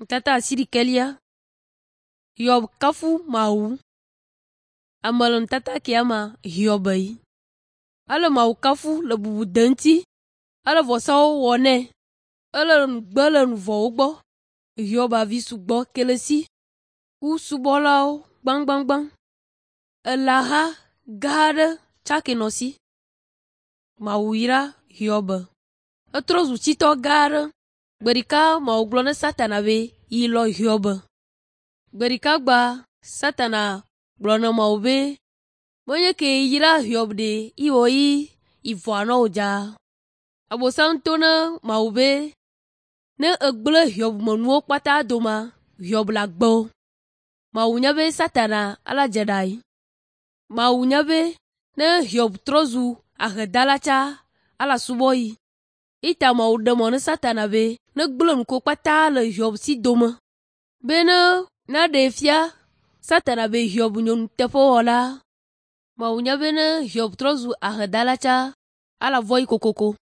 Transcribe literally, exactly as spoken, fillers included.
Nutata asiɖikelia. Hiob kafu Mawu. Ame le nutata kia mea, Hiob yi. Ele Mawu kafu le bubude ŋuti. Ele vɔsawo wɔ nɛ. Ele nu gbe le nu vɔ̃wo gbɔ. Hiob avi sugbɔ ke le esi ku subɔlawo gbãgbãgbã. Elãha gã aɖe tsake nɔ esi. Mawu yra Hiob. Etrɔ zu tsitɔ gã aɖe. Gbe ɖeka Mawu gblɔ ne Satana be yi lɔ Hiob. Gbe ɖeka gbea Satana gblɔ na Mawu be menye ke yra Hiob ɖe ewɔ yi ivɔa nɔ wò dzaa. Abosam to ne Mawu be ne egblẽ Hiob me nuwo kpata domea, Hiob le agbe o. Mawu nya be Satana ala dze ɖe anyi. Mawu nya be ne Hiob trɔ zu ahedala tsa, ala subɔ yi. Eya ta Mawu ɖe mɔ ne Satana be negblẽ nu kewo kpata le Hiob si dome be ne naɖee fia Satana be Hiob nye nuteƒewɔla. Mawu nya be ne Hiob trɔ zu ahedala tsa, ala vɔ yi kokoko.